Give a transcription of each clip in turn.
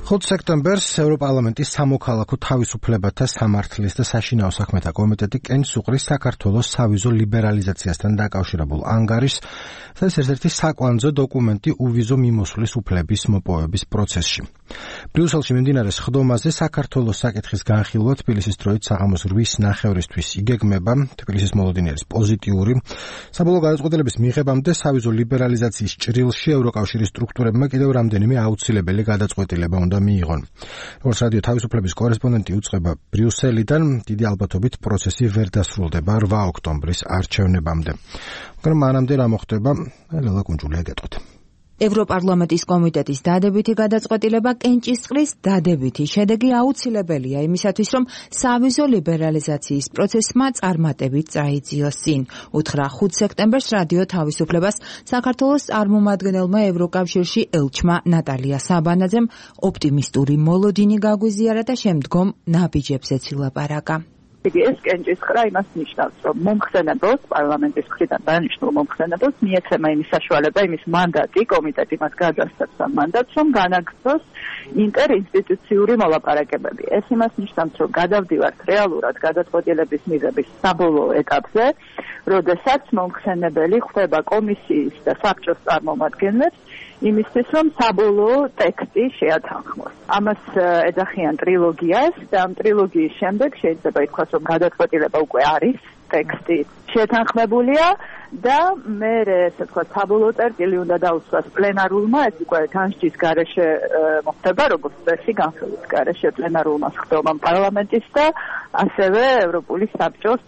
5 სექტემბერს ევროპარლამენტის სამოქალაქო თავისუფლებათა სამართლის და საშინაო საქმეთა კომიტეტი კენჭს უყრის საქართველოს სავიზო ლიბერალიზაციასთან დაკავშირებულ ანგარიშს, ეს ერთ-ერთი საკვანძო დოკუმენტი უვიზო მიმოსვლის უფლების მოპოვების პროცესში. ბრიუსელში მიმდინარე სხდომაზე საქართველოს საკითხის განხილვა თბილისის დროით საღამოს 8:30-ისთვის იგეგმება. თბილისის მოლოდინი არის პოზიტიური. საბოლოო გადაწყვეტილების მიღებამდე სავიზო ლიბერალიზაციის ჭრილში ევროკავშირის სტრუქტურებმა კიდევ რამდენიმე აუცილებელი გადაწყვეტილება უნდა მიიღონ. როგორც რადიო თავისუფლების კორესპონდენტი უწყება ბრიუსელიდან, დიდი ალბათობით პროცესი ვერ დასრულდება 8 ოქტომბრის არჩევნებამდე. მაგრამ მანამდე რა მოხდება? ლელა კუნჯულია გეტყვით. ევროპარლამენტის კომიტეტის დადებითი გადაწყვეტილება კენჭისყრის დადებითი შედეგი აუცილებელია იმისათვის, რომ სავიზო ლიბერალიზაციის პროცესმა წარმატებით წაიძიოს წინ. უთხრა 5 სექტემბერს რადიო თავისუფლებას საქართველოს წარმომადგენელმა ევროკავშირში ელჩმა ნატალია საბანაძემ ოპტიმისტური მოლოდინი გაგვიზიარა და შემდგომ ნაბიჯებზეც ილაპარაკა. ეს კენჭისყრა იმას ნიშნავს, რომ მომხსენებელს, პარლამენტის მხრიდან დანიშნულ მომხსენებელს მიეცემა იმის საშუალება, იმის მანდატი, კომიტეტი მას გადასცემს ამ მანდატს, რომ განაგრძოს ინტერინსტიტუციური მოლაპარაკებები. ეს იმას ნიშნავს, რომ გადავდივართ რეალურად გადაწყვეტილების მიღების საბოლოო ეტაპზე, როდესაც მომხსენებელი ხვდება კომისიის და საბჭოს წარმომადგენლებს იმისთვის, რომ საბოლოო ტექსტი შეათანხმოს. ამას ეძახიან ტრილოგიას და ამ ტრილოგიის შემდეგ შეიძლება ითქვას, რომ გადაწყვეტილება უკვე არის, ტექსტი შეთანხმებულია და მე ესე ვთქვათ, საბოლოო წერტილი უნდა დაუსვას პლენარულმა, ეს უკვე განსჯის გარეშე მოხდება, როგორც წესი განხილვის გარეშე პლენარულმა სხდომამ პარლამენტის და ასევე ევროპული საბჭოს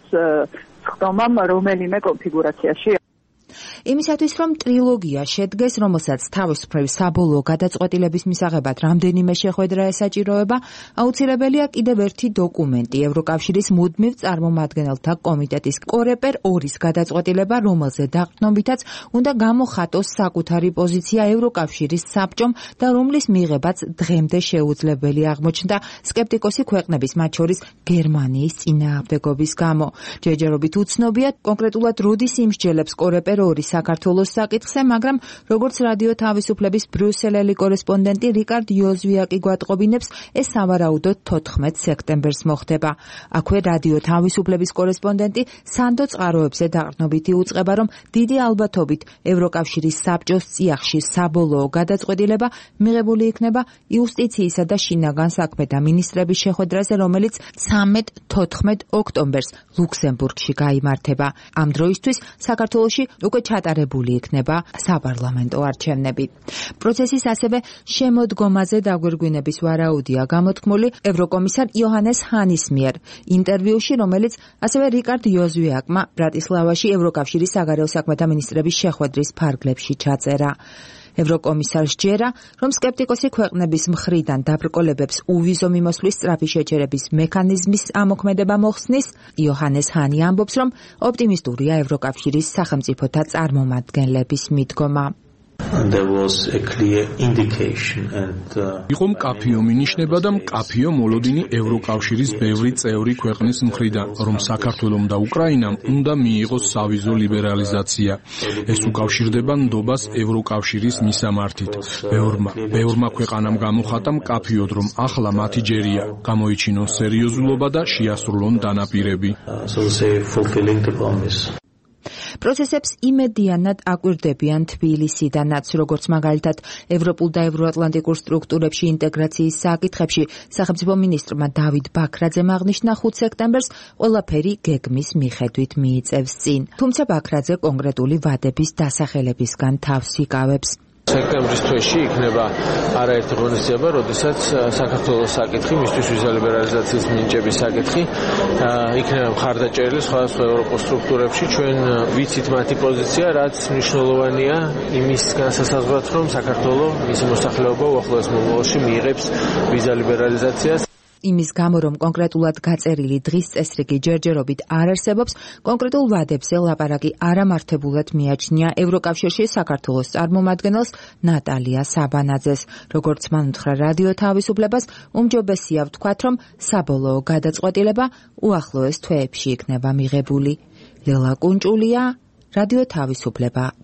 სხდომამ რომელიმე კონფიგურაციაში. იმისათვის, რომ ტრილოგია შედგეს, რომელსაც თავისუფლების საბოლოო გადაწყვეტილების მისაღებად რამდენიმე შეხვედრა ესაჭიროება, აუცილებელია კიდევ ერთი დოკუმენტი, ევროკავშირის მუდმივ წარმომადგენელთა კომიტეტის კორეპერ 2-ის გადაწყვეტილება, რომელზე დაყრდნობითაც უნდა გამოხატოს საკუთარი პოზიცია ევროკავშირის საბჭომ და რომლის მიღებაც დღემდე შეუძლებელი აღმოჩნდა სკეპტიკოსი ქვეყნების, მათ შორის გერმანიის წინააღმდეგობის გამო. ჯერჯერობით უცნობია კონკრეტულად როდის იმსჯელებს კორეპერ 2 საქართველოს საკითხზე, მაგრამ როგორც რადიო თავისუფლების ბრიუსელელი კორესპონდენტი რიკარდ იოზვიაკი გვატყობინებს, ეს სავარაუდოდ 14 სექტემბერს მოხდება. აქვე რადიო თავისუფლების კორესპონდენტი სანდო წყაროებზე დაყრდნობითი უწყება, რომ დიდი ალბათობით ევროკავშირის საბჭოს წიაღში საბოლოო გადაწყვეტილება მიღებული იქნება იუსტიციისა და შინაგან საქმეთა მინისტრების შეხვედრაზე, რომელიც 13-14 ოქტომბერს ლუქსემბურგში გაიმართება. ამ დროისთვის საქართველოში უკვე ჩატარებული იქნება საპარლამენტო არჩევნები. პროცესის ასევე შემოდგომაზე დაგვირგვინების ვარაუდია გამოთქმული ევროკომისარ იოჰანეს ჰანის მიერ ინტერვიუში, რომელიც ასევე რიკარდ იოზვიაკმა ბრატისლავაში ევროკავშირის საგარეო საქმეთა მინისტრების შეხვედრის ფარგლებში ჩაწერა. ევროკომისარს ჯერა, რომ სკეპტიკოსი ქვეყნების მხრიდან დაბრკოლებებს უვიზო მიმოსვლის სწრაფი შეჩერების მექანიზმის ამოქმედება მოხსნის. იოჰანეს ჰანი ამბობს, რომ ოპტიმისტურია ევროკავშირის სახელმწიფოთა წარმომადგენლების მიდგომა. იყო მკაფიო მინიშნება და მკაფიო მოლოდინი ევროკავშირის ბევრი წევრი ქვეყნის მხრიდან, რომ საქართველომ და უკრაინამ უნდა მიიღოს სავიზო ლიბერალიზაცია. ეს უკავშირდება ნდობას ევროკავშირის მისამართით. ბევრმა ქვეყანამ გამოხატა მკაფიოდ, რომ ახლა მათი ჯერია გამოიჩინონ სერიოზულობა და შეასრულონ დანაპირები. პროცესებს იმედიანად აკვირდებიან თბილისიდანაც, როგორც მაგალითად ევროპულ და ევროატლანტიკურ სტრუქტურებში ინტეგრაციის საკითხებში სახელმწიფო მინისტრმა დავით ბაქრაძემ აღნიშნა 5 სექტემბერს ყველაფერი გეგმის მიხედვით მიიწევს წინ. თუმცა ბაქრაძე კონკრეტული ვადების დასახელებისგან თავს იკავებს. სექტემბრის თვეში იქნება არაერთი ღონისძიება, როდესაც საქართველოს საკითხი, მისთვის ვიზა ლიბერალიზაციის მინიჭების საკითხი იქნება მხარდაჭერილი სხვადასხვა ევროპულ სტრუქტურებში. ჩვენ ვიცით მათი პოზიცია, რაც მნიშვნელოვანია იმის განსასაზღვრად, რომ საქართველოს მისი მოსახლეობა უახლოეს მომავალში მიიღებს ვიზა ლიბერალიზაციას. იმის გამო, რომ კონკრეტულად გაწერილი დღის წესრიგი ჯერჯერობით არ არსებობს, კონკრეტულ ვადებზე ლაპარაკი არამართებულად მიაჩნია ევროკავშირში საქართველოს წარმომადგენელს ნატალია საბანაძეს. როგორც მან უთხრა რადიო თავისუფლებას, უმჯობესია ვთქვათ, რომ საბოლოო გადაწყვეტილება უახლოეს თვეებში იქნება მიღებული. ლელა კუნჭულია, რადიო თავისუფლება.